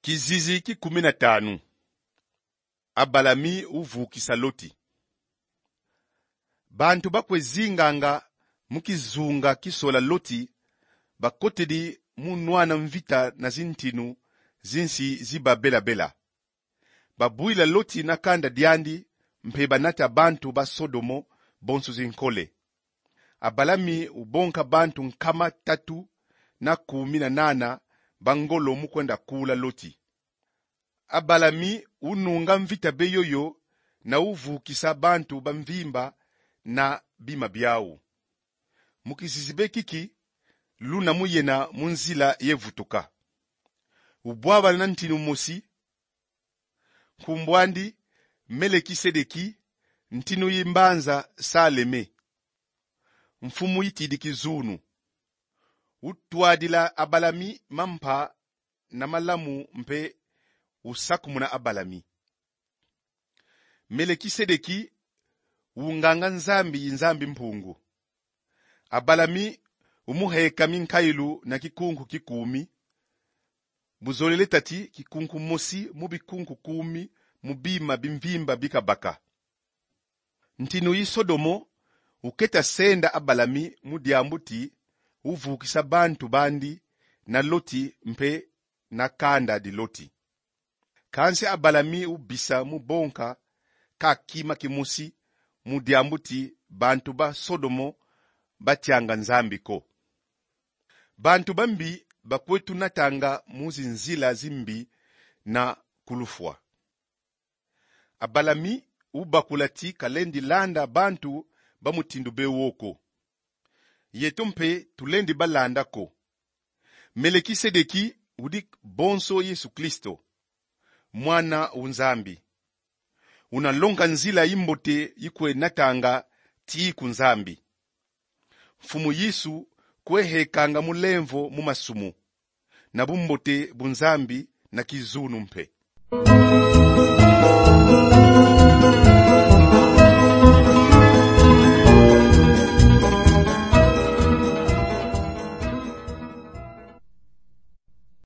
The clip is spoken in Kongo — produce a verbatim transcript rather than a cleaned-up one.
Kizizi ki kumi na tanu. Abalami uvukisa Loti. Bantu bakwe zinganga mu kizunga kisola Loti bakotidi mu nwana mvita na zintinu zi nsi zi babelabela. Babwila Loti na kanda diandi, mpe banata bantu ba Sodomo bonso zinkole. Abalami ubonka bantu nkama tatu na kumi na nana ba ngolo mu kwenda kula Loti. Abalami ununga mvita be yoyo na uvukisa bantu ba mvimba na bima biau. Mu kizizi be kiki, luna mu yena mu nzila ye vutuka. Ubwabana na ntinu mosi, nkumbu andi Melekisedeki, ntinu yi mbanza Saleme, mfumu yitidi kizunu. Utwadila Abalami mampa na malamu mpe usakumuna Abalami. Melekisedeki unganga Nzambi yi Nzambi Mpungu. Abalami umuheka minkailu na kikunku ki kumi, buzolele tati kikunku mosi mu bikunku kumi mu bima bi mvimba bi kabaka. Ntinu yi Sodomo uketa senda Abalami mu diambu ti uvukisa bantu bandi na Loti mpe na kanda di Loti. Kansi Abalami ubisa mu bonka ka kima kimosi mu diambu ti bantu ba Sodomo batianga Nzambi ko. Bantu bambi bakwe tunatanga mu zinzila zimbi na kulufwa. Abalami ubakula ti kalendi landa bantu ba mutindu be wo ko. Yeto mpe tulendi balanda ko. Melekisedeki udi bonso Yesu Kristo, mwana u Nzambi. Unalonga nzila yimbote yikwe natanga ti ku Nzambi. Mfumu Yesu kwe hekanga mulemvo mu masumu, na bumbote bu Nzambi na kizunu mpe.